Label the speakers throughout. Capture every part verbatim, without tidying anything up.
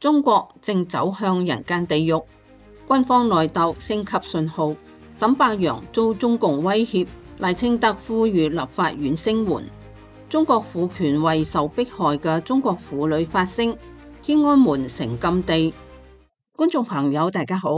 Speaker 1: 中國正走向人間地獄，軍方內鬥升級信號，沈伯洋遭中共威脅，賴清德呼籲立法院聲援。中國婦權為受迫害嘅中國婦女發聲，天安門成禁地。觀眾朋友大家好，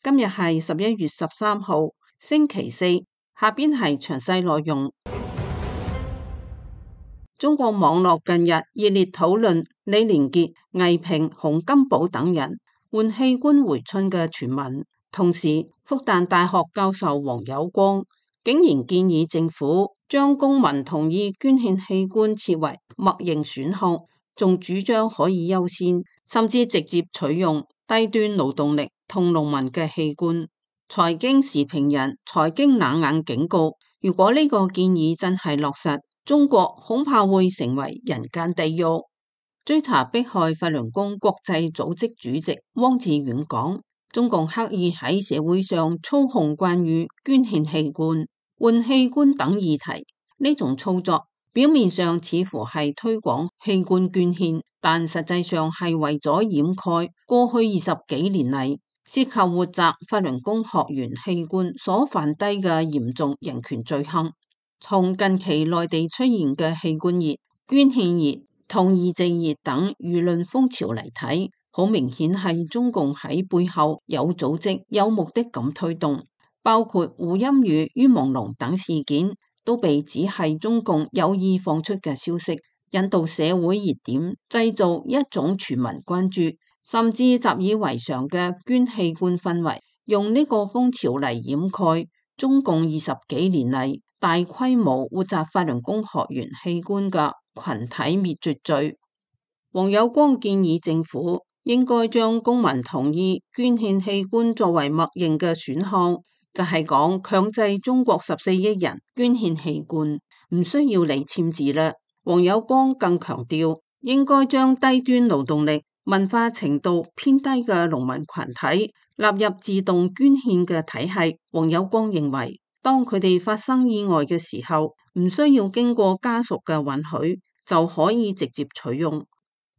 Speaker 1: 今日係十一月十三號星期四，下邊係詳細內容。中國網絡近日熱烈討論李連杰、倪萍、洪金寶等人換器官回春嘅傳聞，同時復旦大學教授黃有光竟然建議政府將公民同意捐獻器官設為默認選項，仲主張可以優先，甚至直接取用低端勞動力同農民嘅器官。財經時評人財經冷眼警告，如果呢個建議真係落實，中國恐怕會成為人間地獄。追查迫害法輪功國際組織主席汪志遠講，中共刻意喺社會上操控關於捐獻器官、換器官等議題，呢種操作表面上似乎係推廣器官捐獻，但實際上係為咗掩蓋過去二十幾年嚟涉及活摘法輪功學員器官所犯低嘅嚴重人權罪行。從近期內地出現嘅器官熱、捐獻熱同移植熱等輿論風潮嚟睇，好明顯係中共喺背後有組織、有目的咁推動，包括胡鑫宇、于朦朧等事件都被指係中共有意放出嘅消息，引導社會熱點，製造一種全民關注，甚至習以為常嘅捐器官氛圍，用呢個風潮嚟掩蓋中共二十幾年嚟大規模活摘法輪功學員器官嘅群體滅絕罪。黃有光建議政府應該將公民同意捐獻器官作為默認嘅選項，就係講強制中國十四億人捐獻器官，唔需要你簽字啦。黃有光更強調，應該將低端勞動力、文化程度偏低嘅農民群體納入自動捐獻嘅體系。黃有光認為，當佢哋發生意外嘅時候，唔需要經過家屬嘅允許，就可以直接取用。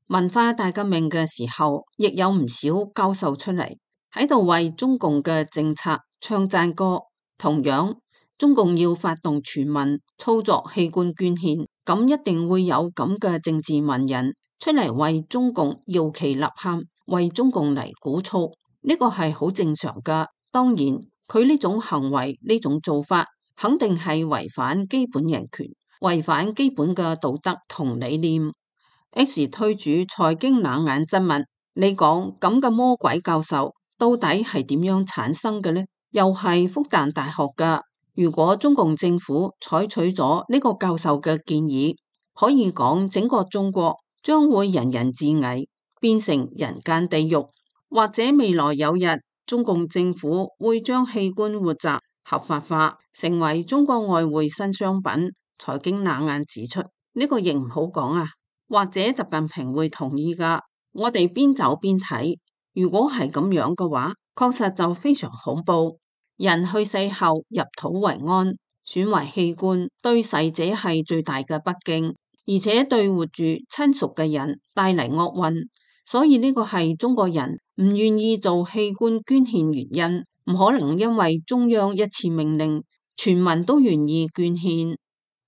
Speaker 1: 文化大革命嘅時候，亦有唔少教授出嚟喺度為中共嘅政策唱讚歌。同樣，中共要發動全民操作器官捐獻，咁一定會有咁嘅政治文人出嚟為中共搖旗吶喊，為中共嚟鼓噪，呢個係好正常噶。當然，佢呢種行為呢種做法肯定係違反基本人權，違反基本嘅道德同理念。X 推主財經冷眼質問，你講咁嘅魔鬼教授到底係點樣產生嘅呢？又係復旦大學噶。如果中共政府採取咗呢個教授嘅建議，可以講整個中國將會人人自危，變成人間地獄。或者未來有日，中共政府會將器官活摘合法化，成為中國外匯新商品。財經冷眼指出，呢個亦唔好講啊。或者習近平會同意噶。我哋邊走邊睇，如果係咁樣嘅話，確實就非常恐怖。人去世後入土為安，選為器官對逝者係最大嘅不敬，而且對活住親屬嘅人帶嚟厄運。所以呢個係中國人唔願意做器官捐獻原因，唔可能因為中央一次命令，全民都願意捐獻。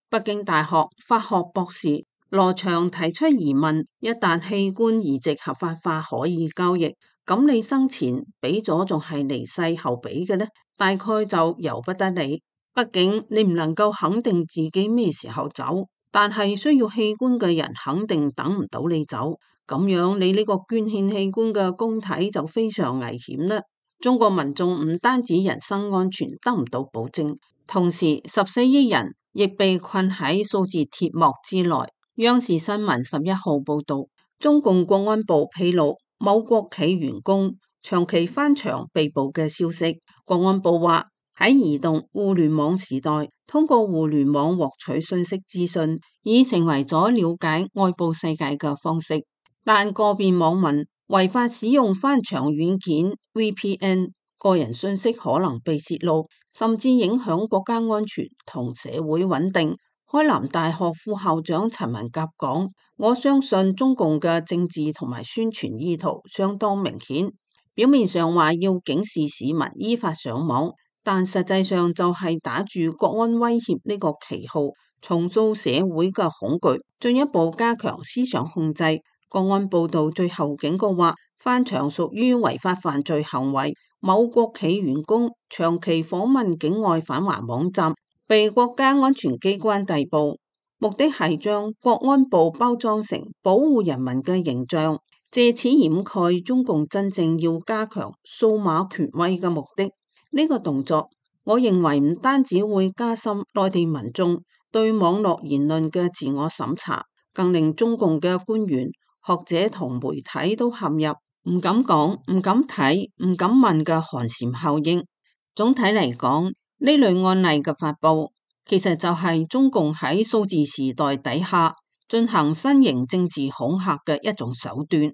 Speaker 1: 北京大學法學博士羅翔提出疑問，一旦器官移植合法化可以交易，咁你生前俾咗仲係離世後俾嘅呢？大概就由不得你。畢竟你唔能夠肯定自己咩時候走，但係需要器官嘅人肯定等唔到你走，咁樣你呢個捐獻器官嘅公體就非常危險啦。中國民眾唔單止人身安全得唔到保證，同時十四億人亦被困喺數字鐵幕之內。央視新聞十一號報道，中共國安部披露某國企員工長期翻牆被捕嘅消息。國安部話，喺移動互聯網時代，通過互聯網獲取信息資訊已成為咗了解外部世界嘅方式，但個別網民違法使用翻牆軟件 V P N， 個人信息可能被洩露，甚至影響國家安全同社會穩定。開南大學副校長陳文甲講，我相信中共嘅政治同埋宣傳意圖相當明顯，表面上話要警示市民依法上網，但實際上就係打住國安威脅呢個旗號，重塑社會嘅恐懼，進一步加強思想控制。國安報道最後警告話，翻牆屬於違法犯罪行為，某國企員工長期訪問境外反華網站，被國家安全機關逮捕。目的係將國安部包裝成保護人民嘅形象，借此掩蓋中共真正要加強數碼權威嘅目的。呢個動作，我認為唔單止會加深內地民眾對網絡言論嘅自我審查，更令中共嘅官員、學者同媒體都陷入唔敢講、唔敢睇、唔敢問嘅寒蟬效應。總體嚟講，呢類案例嘅發佈，其實就係中共喺數字時代底下進行新型政治恐嚇嘅一種手段。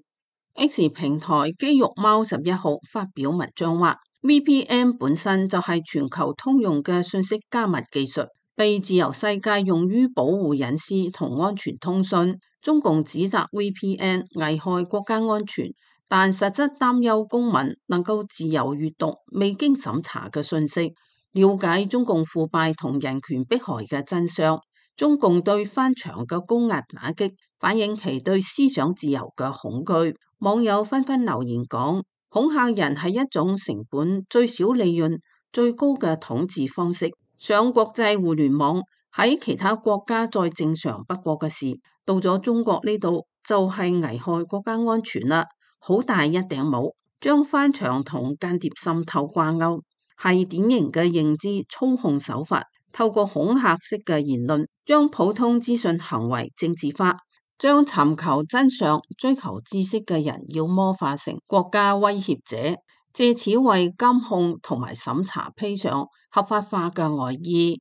Speaker 1: X 平台肌肉貓十一號發表文章話， V P N 本身就係全球通用嘅信息加密技術，被自由世界用於保護隱私同安全通訊。中共指責 V P N 危害國家安全，但實質擔憂公民能夠自由閱讀未經審查嘅信息，了解中共腐敗同人權迫害嘅真相。中共對翻牆嘅高壓打擊，反映其對思想自由嘅恐懼。網友紛紛留言講，恐嚇人係一種成本最少、利潤最高嘅統治方式。上國際互聯網喺其他國家再正常不過嘅事，到咗中國呢度就係危害國家安全啦。好大一頂帽，將翻牆同間諜滲透掛鈎，係典型嘅認知操控手法。透過恐嚇式嘅言論，將普通資訊行為政治化，將尋求真相、追求知識嘅人妖魔化成國家威脅者，借此為監控同埋審查披上合法化嘅外衣。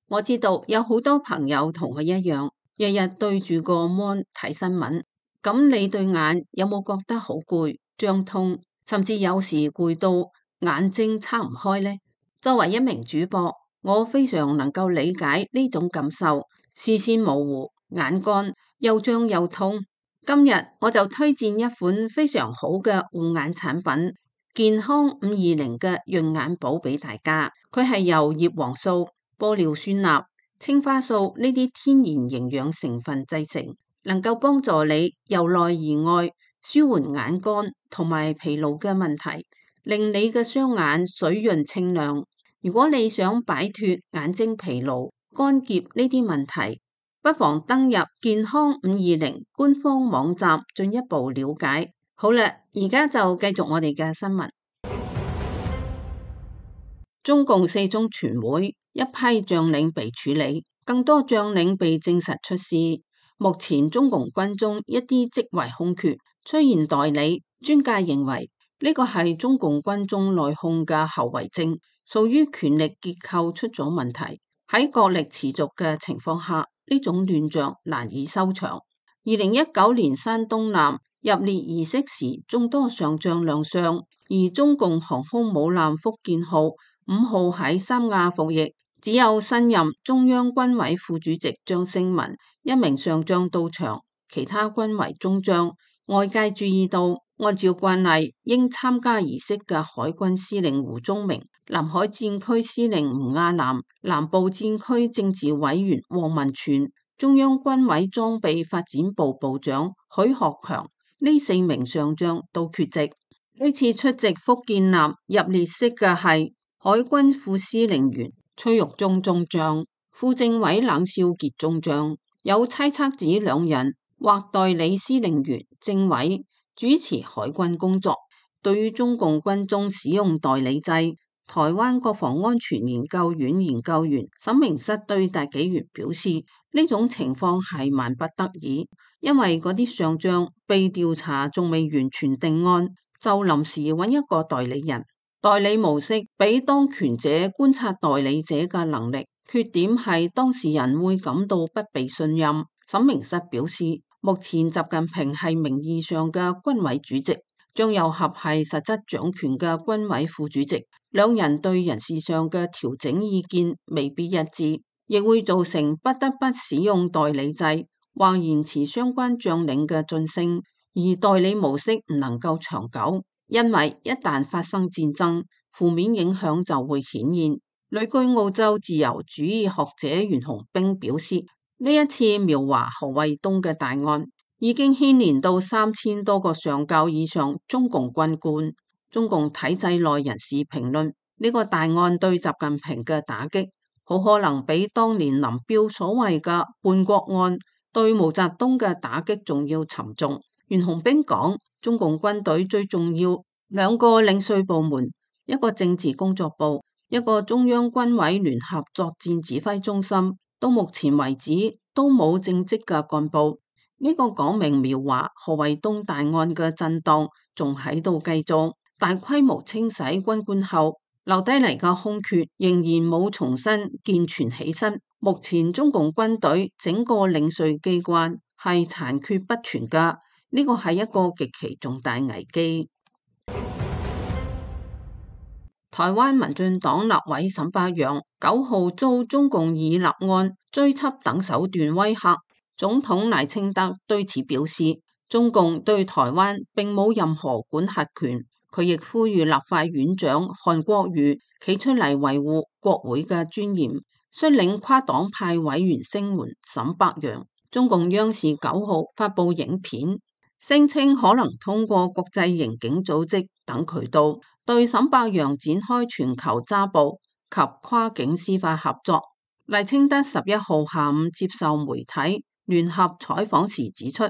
Speaker 1: 我知道有好多朋友同我一樣，日日對住個 mon 睇新聞，咁你對眼有冇覺得好攰、脹痛，甚至有時攰到眼睛撐唔開呢？作為一名主播，我非常能夠理解呢種感受，視線模糊、眼乾、又脹又痛。今日我就推薦一款非常好嘅護眼產品，健康五二零嘅潤眼寶俾大家。佢係由葉黃素、玻尿酸鈉、青花素呢啲天然營養成分製成，能夠幫助你由內而外舒緩眼乾同埋疲勞嘅問題，令你嘅雙眼水潤清亮。如果你想擺脫眼睛疲勞、乾澀呢啲問題，不妨登入健康五二零官方網站進一步了解。好啦，而家就繼續我哋嘅新聞。中共四中全會一批將領被處理，更多將領被證實出事。目前中共軍中一啲職位空缺，出現代理，專家認為呢個係中共軍中內訌嘅後遺症，屬於權力結構出咗問題。喺國力持續嘅情況下，呢種亂象難以收場。二零一九年山東艦入列儀式時，眾多上將亮相，而中共航空母艦福建號五號喺三亞服役，只有新任中央軍委副主席張勝文一名上將到場，其他均為中將。外界注意到，按照慣例，應參加儀式嘅海軍司令胡宗明、南海戰區司令吳亞南、南部戰區政治委員王文全、中央軍委裝備發展部部長許學強呢四名上將都缺席。呢次出席福建艦入列式嘅係海軍副司令員崔玉忠中將、副政委冷少傑中將。有猜測指兩人或代理司令員、政委主持海軍工作。對於中共軍中使用代理制，台灣國防安全研究院研究員沈明室對大紀元表示，呢種情況係萬不得已，因為嗰啲上將被調查仲未完全定案，就臨時揾一個代理人。代理模式俾當權者觀察代理者嘅能力，缺點係當事人會感到不被信任。沈明室表示，目前習近平係名義上嘅軍委主席，張又俠係實質掌權嘅軍委副主席，兩人對人事上嘅調整意見未必一致，亦會造成不得不使用代理制或延遲相關將領嘅晉升，而代理模式唔能夠長久，因為一旦發生戰爭，負面影響就會顯現。旅居澳洲自由主義學者袁洪兵表示，呢一次苗華何衛東嘅大案已經牽連到三千多個上校以上中共軍官。中共體制內人士評論，呢個大案對習近平嘅打擊，好可能比當年林彪所謂嘅叛國案對毛澤東嘅打擊仲要沉重。袁洪兵講，中共軍隊最重要兩個領稅部門，一個政治工作部，一個中央軍委聯合作戰指揮中心，到目前為止都冇正職嘅幹部。呢個講明苗華何衛東大案嘅震盪仲喺度繼續，大規模清洗軍官後留低嚟嘅空缺仍然冇重新健全起身。目前中共軍隊整個領稅機關係殘缺不全㗎，呢個係一個極其重大危機。台灣民進黨立委沈伯洋九號遭中共以立案、追緝等手段威嚇，總統賴清德對此表示，中共對台灣並冇任何管轄權。佢亦呼籲立法院長韓國瑜企出嚟維護國會嘅尊嚴，率領跨黨派委員聲援沈伯洋。中共央視九號發佈影片，聲稱可能通過國際刑警組織等渠道對沈伯洋展開全球抓捕及跨境司法合作。賴清德十一號下午接受媒體聯合採訪時指出，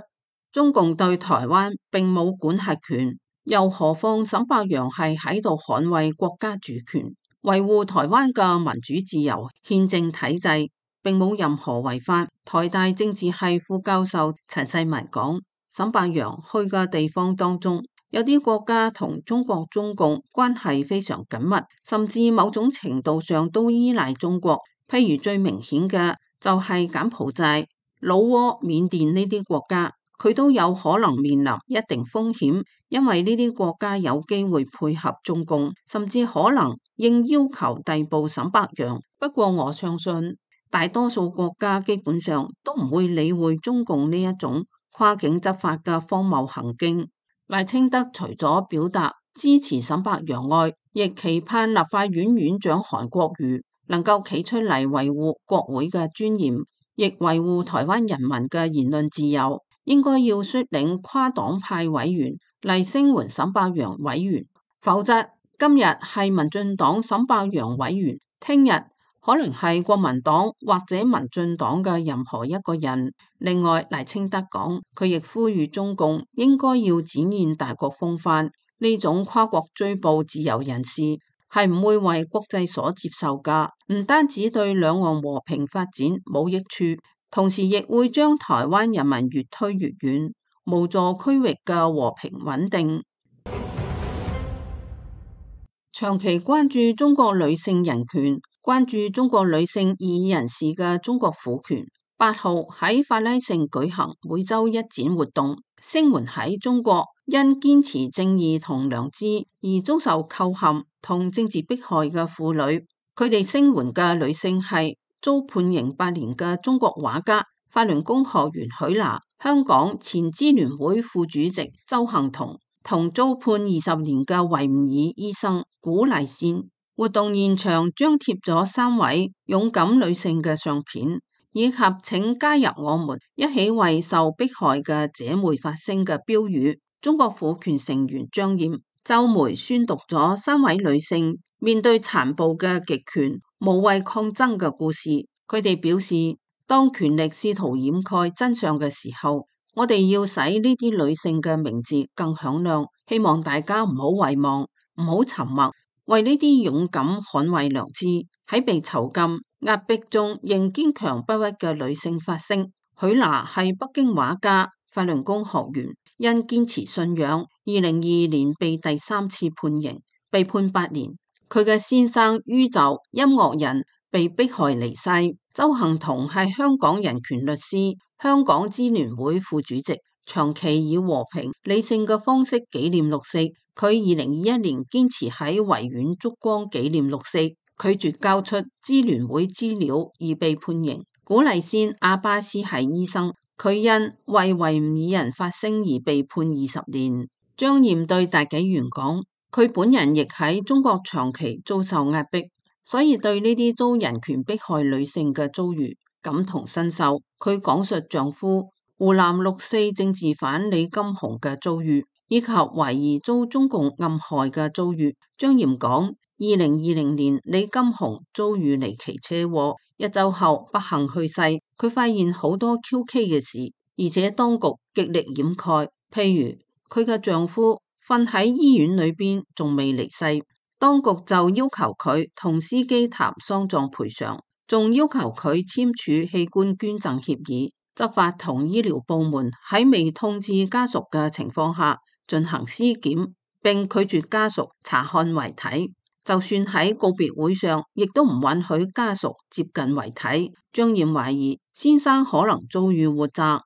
Speaker 1: 中共對台灣並冇管轄權，又何況沈伯洋係喺度捍衛國家主權，維護台灣嘅民主自由憲政體制，並冇任何違法。台大政治系副教授陳世文講，沈伯洋去嘅地方當中，有啲國家同中國中共關係非常緊密，甚至某種程度上都依賴中國。譬如最明顯嘅就係柬埔寨、老撾、緬甸呢啲國家，佢都有可能面臨一定風險，因為呢啲國家有機會配合中共，甚至可能應要求逮捕沈伯洋。不過我相信大多數國家基本上都唔會理會中共呢一種跨境執法嘅荒謬行徑。賴清德除咗表達支持沈伯洋外，亦期盼立法院院長韓國瑜能夠企出嚟維護國會嘅尊嚴，亦維護台灣人民嘅言論自由。應該要率領跨黨派委員嚟聲援沈伯洋委員，否則今日係民進黨沈伯洋委員，聽日可能係國民黨或者民進黨嘅任何一個人。另外，賴清德講，佢亦呼籲中共應該要展現大國風範，呢種跨國追捕自由人士係唔會為國際所接受㗎，唔單止對兩岸和平發展冇益處，同時亦會將台灣人民越推越遠，無助區域嘅和平穩定。長期關注中國女性人權、關注中國女性異議人士嘅中國婦權，八號喺法拉盛舉行每週一展活動，聲援喺中國因堅持正義同良知而遭受扣陷同政治迫害嘅婦女。佢哋聲援嘅女性係遭判刑八年嘅中國畫家、法輪功學員許娜，香港前支聯會副主席鄒幸彤，同遭判二十年嘅維吾爾醫生古麗仙。活動現場張貼咗三位勇敢女性嘅相片，以及請加入我們一起為受迫害嘅姐妹發聲嘅標語。中國婦權成員張艷周梅宣讀咗三位女性面對殘暴嘅極權無畏抗爭嘅故事。佢哋表示，當權力試圖掩蓋真相嘅時候，我哋要使呢啲女性嘅名字更響亮。希望大家唔好遺忘，唔好沉默，為呢啲勇敢捍衛良知，喺被囚禁壓迫中仍堅強不屈嘅女性發聲。許娜係北京畫家、法輪功學員，因堅持信仰，二零二二年被第三次判刑，被判八年。佢嘅先生于就音樂人被迫害離世。鄒幸彤係香港人權律師、香港支聯會副主席，長期以和平理性嘅方式紀念六四。佢二零二一年堅持喺維園燭光紀念六四，拒絕交出支聯會資料而被判刑。古麗仙阿巴斯係醫生，佢因為維吾爾人發聲而被判二十年。張艷對大紀元講，佢本人亦喺中國長期遭受壓迫，所以對呢啲遭人權迫害女性嘅遭遇感同身受。佢講述丈夫湖南六四政治犯李金雄嘅遭遇，以及懷疑遭中共暗害嘅遭遇。張艷講，二零二零年李金雄遭遇離奇車禍，一周後不幸去世。佢發現好多蹊蹺嘅事，而且當局極力掩蓋，譬如佢嘅丈夫瞓喺醫院裏邊仲未離世，當局就要求佢同司機談喪葬賠償，仲要求佢簽署器官捐贈協議。執法同醫療部門喺未通知家屬嘅情況下進行屍檢，並拒絕家屬查看遺體，就算喺告別會上，亦都唔允許家屬接近遺體。張艷懷疑先生可能遭遇活摘。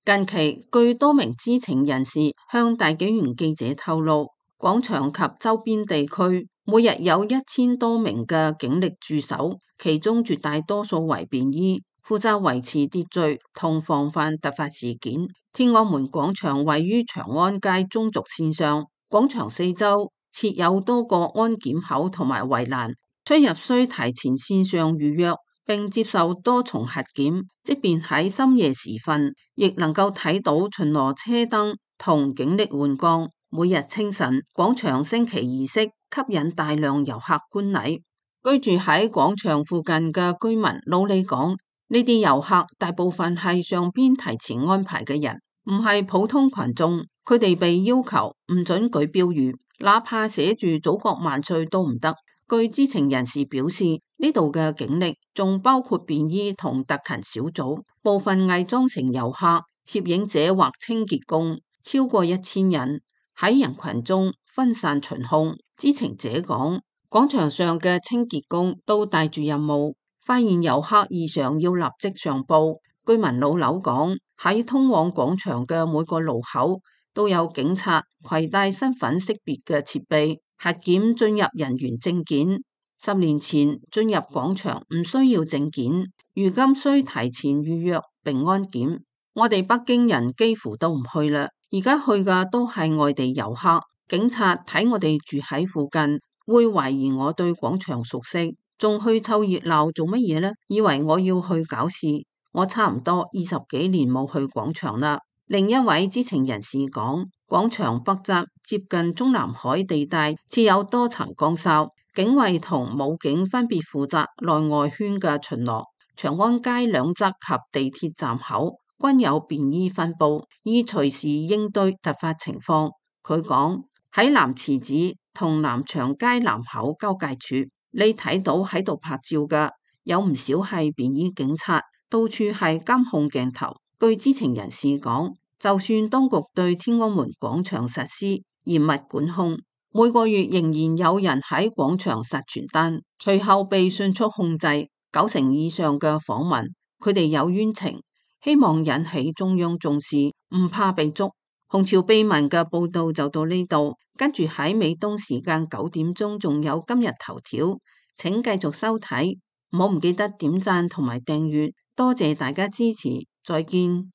Speaker 1: 近期，據多名知情人士向大紀元記者透露，廣場及周邊地區每日有一千多名嘅警力駐守，其中絕大多數為便衣，負責維持秩序同防範突發事件。天安門廣場位於長安街中軸線上，廣場四周設有多個安檢口同埋圍欄，出入需提前線上預約，並接受多重核檢，即便喺深夜時分，亦能夠睇到巡邏車燈同警力換崗。每日清晨，廣場升旗儀式吸引大量遊客觀禮。居住喺廣場附近嘅居民老李講，呢啲遊客大部分係上邊提前安排嘅人，唔係普通群眾。佢哋被要求唔准舉標語，哪怕寫住祖國萬歲都唔得。據知情人士表示，呢度嘅警力仲包括便衣同特勤小組，部分偽裝成遊客、攝影者或清潔工，超過一千人喺人群中分散巡控。知情者講，廣場上嘅清潔工都帶住任務，發現遊客異常要立即上報。居民老劉講，喺通往廣場嘅每個路口都有警察攜帶身份識別嘅設備，核檢進入人員證件。十年前進入廣場唔需要證件，如今需提前預約並安檢。我哋北京人幾乎都唔去啦，而家去嘅都係外地遊客。警察睇我哋住喺附近，會懷疑我對廣場熟悉，仲去湊熱鬧做乜嘢呢？以為我要去搞事。我差唔多二十幾年冇去廣場啦。另一位知情人士講，廣場北側接近中南海地帶設有多層崗哨，警衛同武警分別負責內外圈嘅巡邏。長安街兩側及地鐵站口均有便衣分佈，以隨時應對突發情況。佢講，喺南池子同南長街南口交界處，你睇到喺度拍照嘅有唔少係便衣警察，到處係監控鏡頭。據知情人士講，就算當局對天安門廣場實施嚴密管控，每個月仍然有人喺廣場撒傳單，隨後被迅速控制。九成以上嘅訪問，佢哋有冤情，希望引起中央重視，唔怕被捉。紅潮秘聞嘅報道就到呢度，跟住喺美東時間九點鐘仲有今日頭條，請繼續收睇，唔好唔記得點讚同埋訂閱，多謝大家支持，再見。